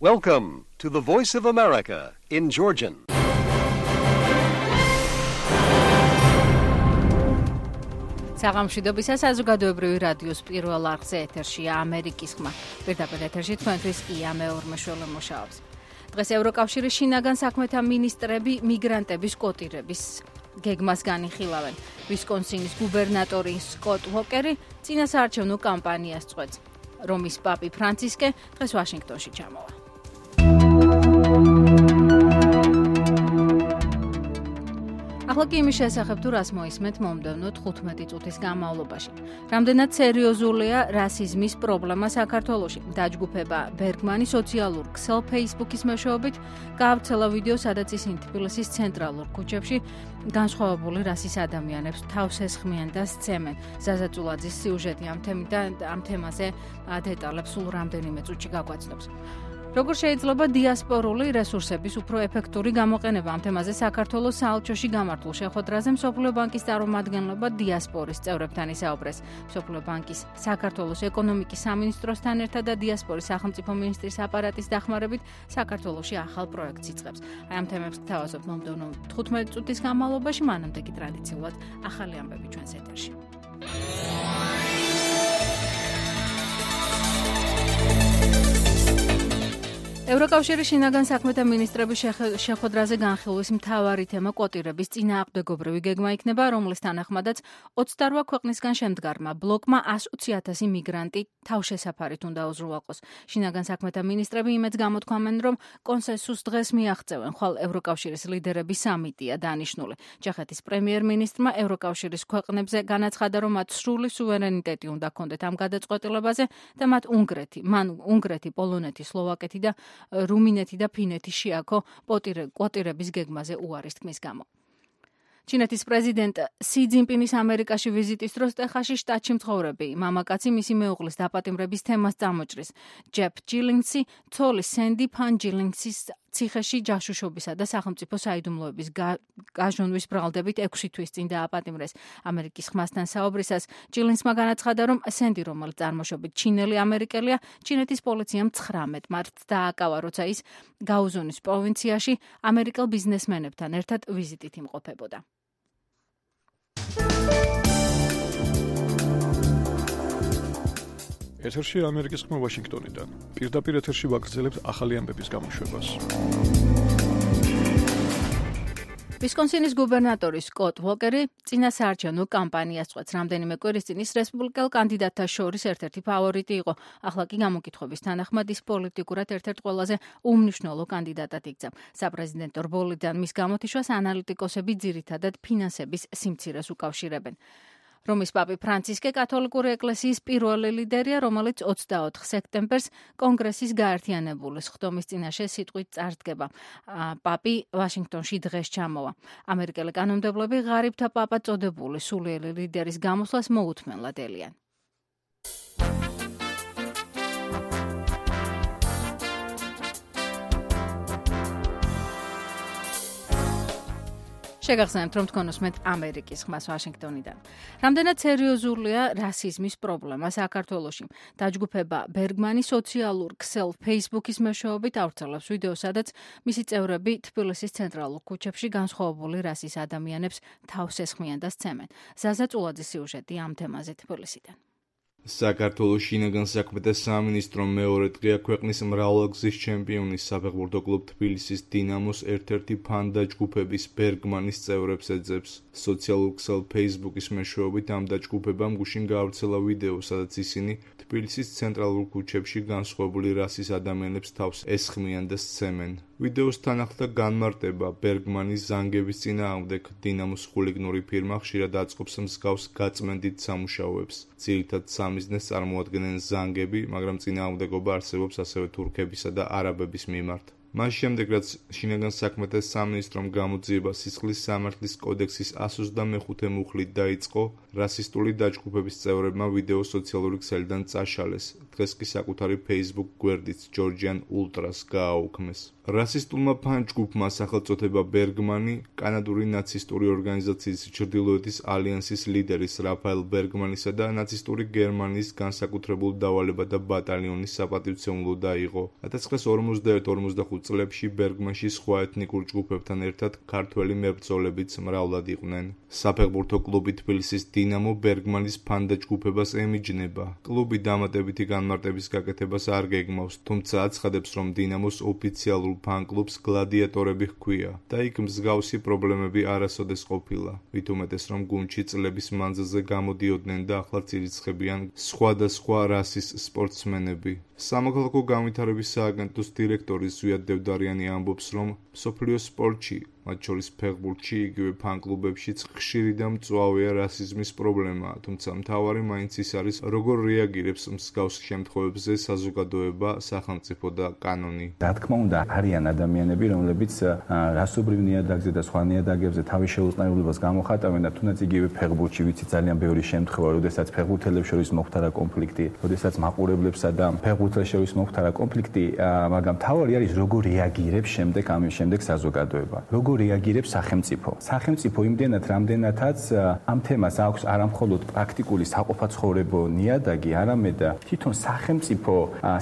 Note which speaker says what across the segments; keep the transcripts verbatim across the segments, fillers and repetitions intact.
Speaker 1: Welcome to the Voice of America in Georgian.
Speaker 2: საღამოშიდობისა საზოგადოებრივი რადიოს პირველ არხზე ეთერშია ამერიკის ხმა. პირდაპირ ეთერში თქვენთვის ია მეორმეშველი მუშაობს. დღეს ევროკავშირის შინაგან საქმეთა მინისტრები მიგრანტების კვოტირების გეგმას განიხილავენ. ვისკონსინის გუბერნატორი სკოტ უოკერი წინასაარჩევნო კამპანიას წყვეტს. რომის პაპი ფრანცისკე დღეს ვაშინგტონში ჩამოვა. ახლა კი იმის შესახებ თუ რას მოისმენთ მომდევნო თხუთმეტი წუთის განმავლობაში. რამდენად სერიოზულია რასიზმის პრობლემა საქართველოში. დაჯგუფება ბერგმანი სოციალურ ქსელ ფეისბუქის მეშვეობით გაავრცელა ვიდეო, სადაც ისინი თბილისის ცენტრალურ ქუჩებში განსხვავებული რასის ადამიანებს თავს ესხმიან და სცემენ. ზაზა წულაძის სიუჟეტი ამ თემიდან ამ თემაზე დეტალებს სულ რამდენიმე წუთში გაგვაცნობს. როგორ შეიძლება დიასპორული რესურსების უფრო ეფექტური გამოყენება? ამ თემაზე საქართველოს საელჩოში გამართულ შეხვედრაზე მსოფლიო ბანკის წარმომადგენლობა დიასპორის წევრებთან ისაუბრეს. მსოფლიო ბანკის საქართველოს ეკონომიკის სამინისტროსთან ერთად და დიასპორის სახელმწიფო მინისტრის აპარატის დახმარებით საქართველოში ახალ პროექტს იწყებს. აი ამ თემებს გთავაზობთ მომდევნო თხუთმეტი წუთის განმავლობაში, მანამდე კი ტრადიციულად ახალი ამბები ჩვენს ეთერში. ევროკავშირის შინაგან საქმეთა მინისტრების შეხვედრაზე განხილვის მთავარი თემა კვოტირების წინააღმდეგობრივი გეგმა იქნება, რომლის თანახმადაც ოცდარვა ქვეყნისგან შემდგარმა ბლოკმა ათი ათასი მიგრანტი თავშესაფარით უნდა უზრუნველყოს. შინაგან საქმეთა მინისტრები იმედს გამოთქვამენ, რომ კონსენსუს დღეს მიაღწევენ, ხვალ ევროკავშირის ლიდერების სამიტია დანიშნული. ჩეხეთის პრემიერ-მინისტრმა ევროკავშირის ქვეყნებზე განაცხადა, რომ მათ სრული სუვერენიტეტი უნდა ჰქონდეთ ამ გადაწყვეტილებაზე და მათ უნგრეთი, მან უნგრეთი, პოლონეთი, სლოვაკეთი და რუმინეთი და ფინეთი შეაქო კვოტირების გეგმაზე უარის თქმის გამო. ჩინეთის პრეზიდენტ სი ძინპინის ამერიკაში ვიზიტის დროს ტეხასში შტატში მცხოვრები მამაკაცი მისი მეუღლის დაპატიმრების თემას წამოჭრის. ჯეფ ჯილინგსი ცოლის სენდი ფან ჯილინგსის ციხეში ჯაშუშობისა და სახელმწიფო საიდუმლოების გაჟონვის ბრალდებით ექვსი თვის წინ დააპატიმრეს. ამერიკის ხმასთან საუბრისას ჯილინგსმა განაცხადა, რომ სენდი, რომელიც წარმოშობით ჩინელი ამერიკელია, ჩინეთის პოლიციამ ცხრამეტ მარტს დააკავა, როცა ის გაუზონის პროვინციაში ამერიკელ ბიზნესმენებთან ერთად ვიზიტით იმყოფებოდა.
Speaker 3: ეთერში ამერიკის ხმა ვაშინგტონიდან. პირდაპირ ეთერში ვაგრძელებთ ახალი ამბების გამოშვებას.
Speaker 2: ვისკონსინის გუბერნატორი სკოტ უოკერი წინასაარჩევნო კამპანიას წყვეტს. რამდენიმე კვირის წინ ის რესპუბლიკელ კანდიდატთა შორის ერთ-ერთი ფავორიტი იყო. ახლა კი გამოკითხების თანახმად ის პოლიტიკურად ერთ-ერთ ყველაზე უმნიშვნელო კანდიდატად იქცა. საპრეზიდენტო რბოლიდან მის გამოთიშვას ანალიტიკოსები ძირითადად ფინანსების სიმცირეს უკავშირებენ. რომის პაპი ფრანცისკე კათოლიკური ეკლესიის პირველი ლიდერია, რომელიც ოცდაოთხ სექტემბერს კონგრესის გაერთიანებული სხდომის წინაშე სიტყვით წარდგება. პაპი ვაშინგტონში დღეს ჩამოვა. ამერიკელი კანონმდებლები ღარიბთა პაპად წოდებული სულიერი ლიდერის გამოსვლას მოუთმენლად ელიან. შეგახსენებთ, რომ თქვენ უსმენთ ამერიკის ხმას ვაშინგტონიდან. რამდენად სერიოზულია რასიზმის პრობლემა საქართველოში? დაჯგუფება ბერგმანი სოციალურ ქსელ ფეისბუქის მეშვეობით ავრცელებს ვიდეო, სადაც მისი წევრები თბილისის ცენტრალურ ქუჩებში განსხვავებული რასის ადამიანებს თავს ესხმიან და სცემენ. ზაზა წულაძის სიუჟეტი ამ თემაზე თბილისიდან.
Speaker 4: საქართველოს შინაგან საქმეთა სამინისტრომ მეორე დღეა ქვეყნის მრავალგზის ჩემპიონის საფეხბურთო კლუბ თბილისის დინამოს ერთ-ერთი ფან დაჯგუფების ბერგმანის წევრებს ეძებს. სოციალურ ქსელ ფეისბუქის მეშვეობით ამ დაჯგუფებამ გუშინ გაავრცელა ვიდეო, სადაც ისინი თბილისის ცენტრალურ ქუჩებში განსხვავებული რასის ადამიანებს თავს ესხმიან და სცემენ. ვიდეოსთან ახლდა განმარტება ბერგმანის ზანგების წინააღმდეგ. დინამოს ხულიგნური ფირმა ხშირად აწყობს მსგავს გაწმენდით სამუშაოებს. ძირითად სამიზნეს წარმოადგენენ ზანგები, მაგრამ წინააღმდეგობა არსებობს ასევე თურქებისა და არაბების მიმართ. მას შემდეგ, რაც შინაგან საქმეთა სამინისტრომ გამოძიება სისხლის სამართლის კოდექსის εκατს ოცდამეხუთე მუხლით დაიწყო, რასისტული დაჯგუფების წევრებმა ვიდეო სოციალური ქსელიდან წაშალეს. დღეს კი საკუთარი Facebook გვერდით Georgian Ultras გააუქმეს. რასისტულმა ფანჯგუფმა სახელწოდება ბერგმანი კანადური ნაცისტური ორგანიზაციის ჩრდილოეთის ალიანსის ლიდერის რაფაელ ბერგმანისა და ნაცისტური გერმანიის განსაკუთრებულ დავალებათა ბატალიონის საპატივცემულო დაიღო. ათას ცხრაასი ორმოცდაერთი ორმოცდახუთ წლებში ბერგმანში სხვა ეთნიკურ ჯგუფებთან ერთად ქართველი მებრძოლებიც მრავლად იყვნენ. საფეხბურთო კლუბი თბილისის დინამო ბერგმანის ფანჯგუფებას ემიჯნება. კლუბი დამატებითი განმარტების გაკეთებას არ გეგმავს, თუმცა აცხადებს, რომ დინამოს ოფიციალურ ფან-კლუბს გლადიატორები ჰქვია და იქ მსგავსი პრობლემები არასოდეს ყოფილა. მით უმეტეს, რომ გუნდში წლების მანძილზე გამოდიოდნენ და ახლაც ირიცხებიან სხვადასხვა რასის სპორტსმენები. სამოქალაქო განვითარების სააგენტოს დირექტორი ზვიად დევდარიანი ამბობს, რომ მსოფლიო სპორტში, მათ შორის ფეხბურთში, იგივე ფან-კლუბებშიც ხშირი და მწვავეა რასიზმის პრობლემა, თუმცა მთავარი მაინც ის არის, როგორ რეაგირებს მსგავს შემთხვევებზე საზოგადოება, სახელმწიფო და კანონი.
Speaker 5: რა თქმა უნდა, არიან ადამიანები, რომლებიც რასობრივ ნიადაგზე და სხვა ნიადაგებზე თავის შეუწყნაებლობას გამოხატავენ და თუნდაც იგივე ფეხბურთში ვიცი ძალიან ბევრი შემთხვევა, როდესაც ფეხბურთელებს შორის მოხდარა კონფლიქტი, როდესაც მაყურებლებსა და ფეხბურთელებს შორის მოხდარა კონფლიქტი, მაგრამ თავი არის როგორ რეაგირებს შემდეგ ამ შემდეგ საზოგადოება. როგორ რეაგირებს სახელმწიფო. სახელმწიფო იმდენად რამდენადაც ამ თემას აქვს არამხოლოდ პრაქტიკული საყოფაცხოვრებო ნიადაგი, არამედ თვითონ სახელმწიფო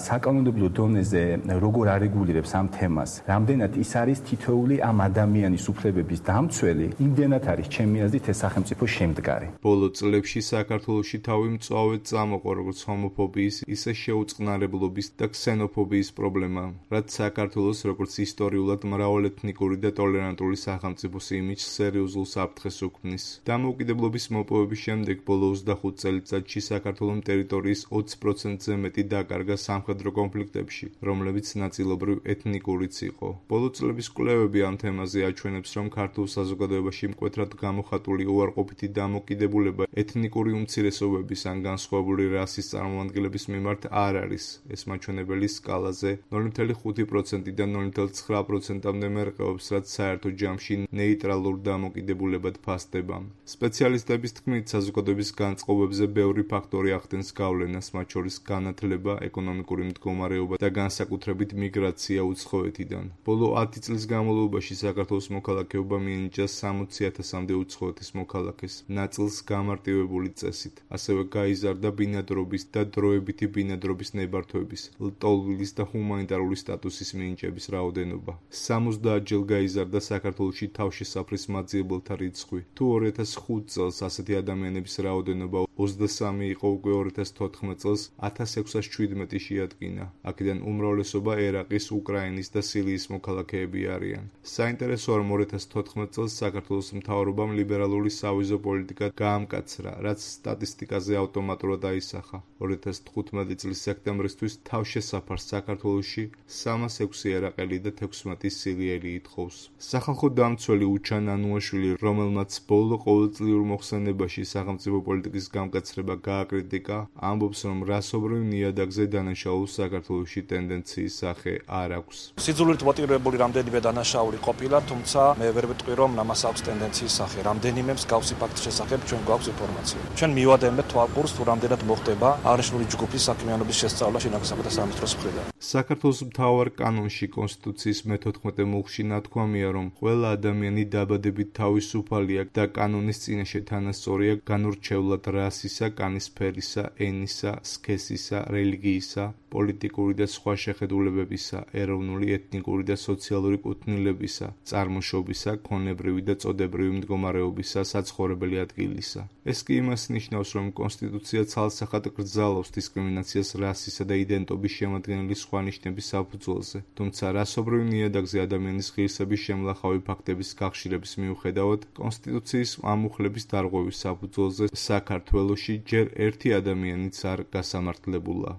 Speaker 5: საკანონმდებლო დონეზე როგორ არეგულირებს ამ თემას. რამდენად ის არის თითოეული ამ ადამიანის უფლებების დამცველი, იმდენად არის ჩემი აზრით ეს სახელმწიფო შემდგარი.
Speaker 4: ბოლო წლებში საქართველოში თავი მწვავედ წამოყო როგორც ჰომოფობიის, ისე შეუწყნარებლობის და ქსენოფობიის პრობლემა, რაც საქართველოს როგორც ისტორიულად მრავალეთნიკური და ტოლერანტული სახელმწიფოს იმიჯს სერიოზულ საფრთხეს უქმნის. დამოუკიდებლობის მოპოვების შემდეგ ბოლო ოცდახუთ წელიწადში საქართველოს ტერიტორიის ოცი პროცენტზე მეტი დაკარგა სამხედრო კონფლიქტებში, რომლებიც ნაწილობრივ ეთნიკურიც იყო. ბოლო წლების კვლევები ამ თემაზე აჩვენებს, რომ ქართულ საზოგადოებაში მკვეთრად გამოხატული უარყოფითი დამოკიდებულება ეთნიკური უმცირესობების ან განსხვავებული რასის წარმომადგენლების მიმართ არ არის. ეს მაჩვენებელი სკალაზე ნული ფუძნელი ხუთი პროცენტიდან ნული ფუძნელი ცხრა პროცენტამდე მერყეობს, რაც საერთო ჯამში ნეიტრალურ დამოკიდებულებად ფასდება. სპეციალისტების თქმით, საზოგადოების განწყობებზე ბევრი ფაქტორი ახდენს გავლენას, მათ შორის განათლება, ეკონომიკური მდგომარეობა და განსაკუთრებით მიგრაცია უცხოეთიდან. ბოლო ათი წლის განმავლობაში საქართველოს მოქალაქეობა მიენიჭა სამოცი ათასამდე უცხოეთის მოქალაქეს, ნაწილს გამარტივებული წესით. ასევე გაიზარდა ბინადრობის და დროებითი ბინადრობის ნებართვების, ლტოლვილის და ჰუმანიტარული სტატუსის მინიჭების რაოდენობა. სამოცდაათ ჯერ გაიზარდა საქართველოში თავშესაფრის მაძიებელთა რიცხვი. თუ ორი ათას ხუთ წელს ასეთი ადამიანების რაოდენობა ოცდასამი იყო, უკვე ორი ათას თოთხმეტ წელს ათას ექვსას შვიდმეტი შეადგინა. აქედან უმრავლესობა ერაყის, უკრაინის და სირიის მოქალაქეები არიან. საინტერესოა, რომ ორი ათას თოთხმეტ წელს საქართველოს მთავრობამ ლიბერალური სავიზო პოლიტიკა გაამკაცრა, რაც სტატისტიკაზე ავტომატურად აისახა. ორი ათას თხუთმეტი წლის სექტემბრისთვის თავშესაფარს საქართველოში სამას ექვსი ერაყელი და თექვსმეტი სირიელი ითხოვს. სახალხო დამცველი უჩან ანუაშვილი, რომელმაც ბოლო ყოველწლიურ მოხსენებაში სახელმწიფო პოლიტიკის გამკაცრება გააკრიტიკა, ამბობს, რომ რასობრივ ნიადაგზე დანაშაულ საქართველოში ტენდენციის სახე არ აქვს.
Speaker 6: სიძულვით მოტივირებული რამდენიმე დანაშაული ყოფილა, თუმცა მე ვერ ვიტყვი, რომ ამას აქვს ტენდენციის სახე. რამდენიმე მსგავსი ფაქტის შესახებ ჩვენ გვაქვს ინფორმაცია. ჩვენ მივადენებთ თვალყურს, თუ რამდენად მოხდება აღნიშნული ჯგუფის საქმიანობის შესწავლა შინაგან საქმეთა სამინისტროს მხრიდან.
Speaker 4: საქართველოს მთავარ კანონში კონსტიტუციის მეთოთხმეტე მუხლში ნათქვამია, რომ ყველა ადამიანი დაბადებით თავისუფალია და კანონის წინაშე თანასწორია განურჩევლად რასისა, კანის ფერისა, ენისა, სქესისა, რელიგიისა, პოლიტიკური და სხვა შეხედულებებისა, ეროვნული, ეთნიკური და სოციალური კუთვნილებისა, წარმოშობისა, ქონებრივი და წოდებრივი მდგომარეობისა, საცხოვრებელი ადგილისა. ეს კი იმას ნიშნავს, რომ კონსტიტუცია ცალსახად გრძალავს დისკრიმინაციას რასისა და იდენტობის შემადგენელი სხვა ნიშნების საფუძველზე, თუმცა რასობრივ ნიადაგზე ადამიანის ღირსების შემლახავი ფაქტების გახშირების მიუხედავად, კონსტიტუციის ამუხლების დარღვევის საფუძველზე საქართველოში ჯერ ერთი ადამიანიც არ გასამართლებულა.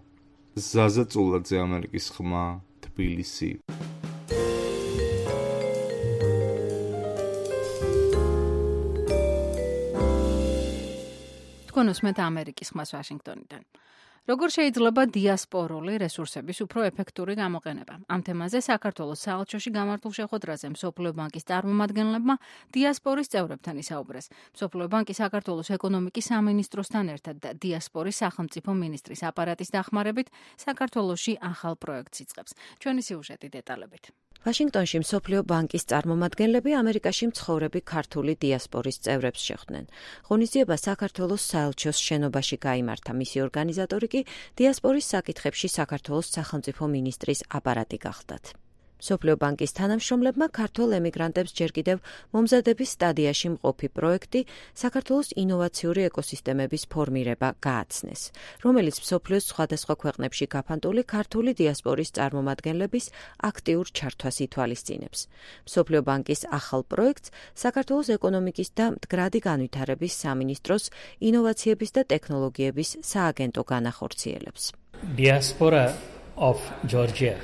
Speaker 4: ზაზა წულაძე, ამერიკის ხმა, თბილისი.
Speaker 2: თქვენ უსმენთ ამერიკის ხმას ვაშინგტონიდან. როგორ შეიძლება დიასპორული რესურსების უფრო ეფექტური გამოყენება? ამ თემაზე საქართველოს საელჩოში გამართულ შეხვედრაზე მსოფლიო ბანკის წარმომადგენლებმა დიასპორის წევრებთან ისაუბრეს. მსოფლიო ბანკი საქართველოს ეკონომიკის სამინისტროსთან ერთად და დიასპორის სახელმწიფო მინისტრის აპარატის დახმარებით საქართველოში ახალ პროექტს იწყებს. ჩვენი სიუჟეტი დეტალებით.
Speaker 7: ვაშინგტონში მსოფლიო ბანკის წარმომადგენლები ამერიკაში მცხოვრები ქართული დიასპორის წევრებს შეხვდნენ. ღონისძიება საქართველოს საელჩოს შენობაში გაიმართა. მისი ორგანიზატორი კი დიასპორის საკითხებში საქართველოს სახელმწიფო მინისტრის აპარატი გახდათ. მსოფლიო ბანკის თანამშრომლებმა ქართულ ემიგრანტებს ჯერ კიდევ მომზადების სტადიაში მყოფი პროექტი საქართველოს ინოვაციური ეკოსისტემების ფორმირება გააცნეს, რომელიც მსოფლიოს სხვადასხვა ქვეყნებში გაფანტული ქართული დიასპორის წარმომადგენლების აქტიურ ჩართვას ითვალისწინებს. მსოფლიო ბანკის ახალ პროექტს საქართველოს ეკონომიკის და მდგრადი განვითარების სამინისტროს ინოვაციების და ტექნოლოგიების სააგენტო განახორციელებს.
Speaker 8: Diaspora of Georgia.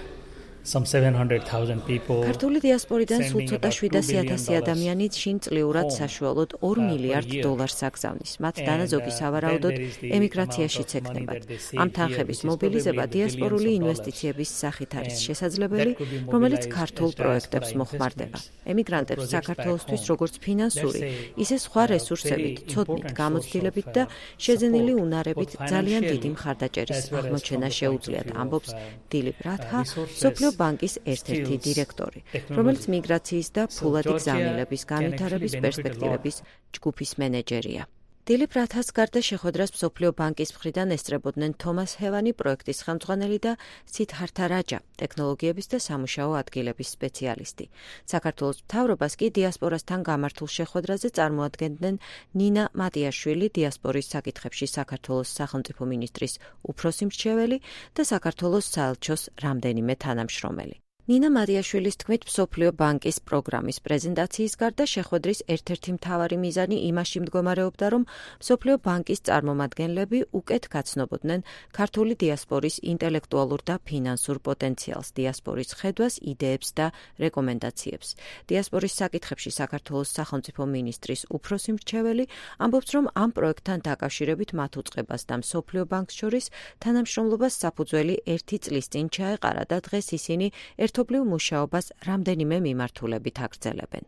Speaker 8: Some seven hundred thousand people.
Speaker 7: ქართული დიასპორიდან სულ ცოტა შვიდასი ათასი ადამიანი შინწლიურად საშუალოდ ორ მილიარდ დოლარს აგზავნის. მათ დანაზოგი სავარაუდოდ ემიგრაციაშიც ექნებათ. ამ თანხების მობილიზება დიასპორული ინვესტიციების სახით არის შესაძლებელი, რომელიც ქართულ პროექტებს მოხმარდება. ემიგრანტებს საქართველოსთვის როგორც ფინანსური, ისე სხვა რესურსებით, ცოდნით, გამოცდილებით და შეძენილი უნარებით ძალიან დიდი მხარდაჭერის აღმოჩენა შეუძლიათ, ამბობს დილიპ რათა, მსოფლიო ბანკის ერთ-ერთი დირექტორი, რომელიც მიგრაციის და ფულადი გზავნილების განვითარების პერსპექტივების ჯგუფის მენეჯერია. დილიპ რათას გარდა შეხვედრას მსოფლიო ბანკის მხრიდან ესწრებოდნენ თომას ჰევანი, პროექტის ხელმძღვანელი და სიდჰართა რაჯა, ტექნოლოგიების და სამუშაო ადგილების სპეციალისტი. საქართველოს მთავრობას კი დიასპორასთან გამართულ შეხვედრაზე წარმოადგენდნენ ნინა მატიაშვილი, დიასპორის საკითხებში საქართველოს სახელმწიფო მინისტრის უფროსი მრჩეველი და საქართველოს საელჩოს რამდენიმე თანამშრომელი. ნინა მატიაშვილის თქმით, მსოფლიო ბანკის პროგრამის პრეზენტაციის გარდა შეხვედრის ერთ-ერთი მთავარი მიზანი იმაში მდგომარეობდა, რომ მსოფლიო ბანკის წარმომადგენლები უკეთ გაცნობოდნენ ქართული დიასპორის ინტელექტუალურ და ფინანსურ პოტენციალს, დიასპორის ხედვას, იდეებს და რეკომენდაციებს. დიასპორის საკითხებში საქართველოს სახელმწიფო მინისტრის უფროსი მრჩეველი ამბობს, რომ ამ პროექტთან დაკავშირებით მათ უწყებას და მსოფლიო ბანკს შორის თანამშრომლობას საფუძველი ერთი წლის წინ ჩაეყარა და დღეს ისინი ერთ ერთობლივ მუშაობას რამდენიმე მიმართულებით აგრძელებენ.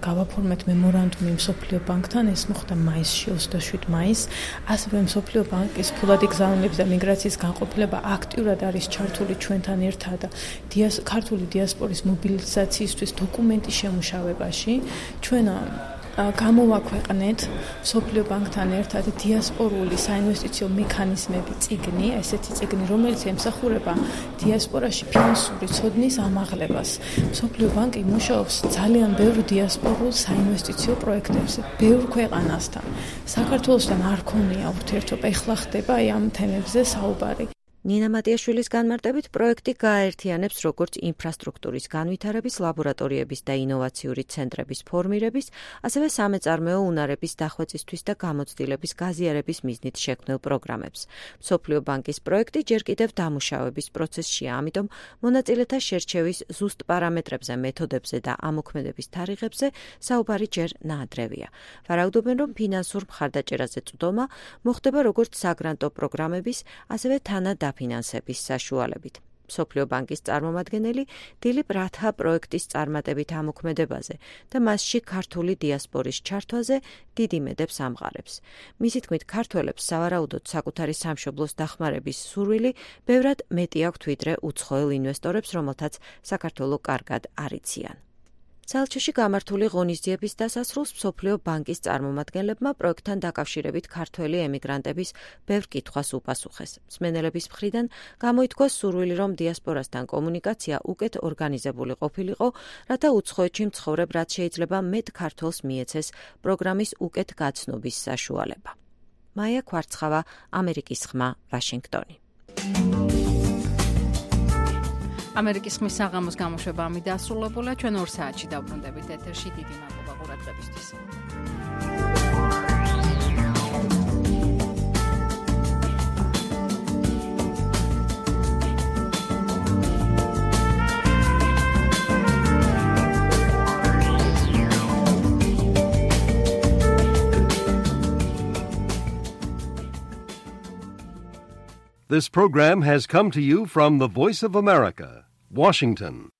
Speaker 9: გავაფორმეთ მემორანდუმი მსოფლიო ბანკთან, ეს მოხდა მაისში, ოცდაშვიდ მაისს, ასევე მსოფლიო ბანკის ფულადი გზავნილების და მიგრაციის განყოფილება აქტიურად არის ჩართული ჩვენთან ერთად დიას ქართული დიასპორის მობილიზაციისთვის დოკუმენტის შემუშავებაში. ჩვენ გამოვაქვეყნეთ მსოფლიო ბანკთან ერთად დიასპორული საინვესტიციო მექანიზმები წიგნი, ესეთი წიგნი, რომელიც ემსახურება დიასპორაში ფინანსური ცოდნის ამაღლებას. მსოფლიო ბანკი მუშაობს ძალიან ბევრ დიასპორულ საინვესტიციო პროექტებზე, ბევრ ქვეყანასთან. საქართველოსთან არ ქონია ურთიერთობა, ეხლა ხდება ამ თემებზე საუბარი.
Speaker 7: ნინა მატიაშვილის განმარტებით პროექტი გააერთიანებს როგორც ინფრასტრუქტურის განვითარების, ლაბორატორიების და ინოვაციური ცენტრების ფორმირების, ასევე სამეწარმეო უნარების დახვეწისთვის და გამოცდილების გაზიარების მიზნით შექმნილ პროგრამებს. მსოფლიო ბანკის პროექტი ჯერ კიდევ დამუშავების პროცესშია, ამიტომ მონაწილეთა შერჩევის ზუსტ პარამეტრებზე, მეთოდებზე და ამოქმედების თარიღებზე საუბარი ჯერ ნაადრევია. ვარაუდობენ, რომ ფინანსურ მხარდაჭერაზე წვდომა მოხდება როგორც საგრანტო პროგრამების, ასევე თანადამოყრების ფინანსების საშუალებით. მსოფლიო ბანკის წარმომადგენელი დილიპ რათა პროექტის წარმატებით ამოქმედებაზე და მასში ქართული დიასპორის ჩართვაზე დიდ იმედებს ამღარებს. მისი თქმით, ქართველებს სავარაუდოდ საკუთარი სამშობლოს დახმარების სურვილი ბევრად მეტი აქვთ ვიდრე უცხოელ ინვესტორებს, რომელთაც საქართველო კარგად არიციან. საელჩოში გამართული ღონისძიების დასასრულს მსოფლიო ბანკის წარმომადგენლებმა პროექტთან დაკავშირებით ქართველი ემიგრანტების ბევრ კითხვას უპასუხეს. მსმენელების მხრიდან გამოითქვა სურვილი, რომ დიასპორასთან კომუნიკაცია უკეთ ორგანიზებული ყოფილიყო, რათა უცხოეთში მცხოვრებ რაც შეიძლება მეტ ქართველს მიეცეს პროგრამის უკეთ გაცნობის საშუალება. მაია კვარცხავა, ამერიკის ხმა, ვაშინგტონი.
Speaker 2: ამერიკის ხმის საღამოს გამოშვება ამით დასრულებულია. ჩვენ ორ საათში დავბრუნდებით ეთერში. დიდი მადლობა ყურადღებისთვის.
Speaker 1: This program has come to you from the Voice of America, Washington.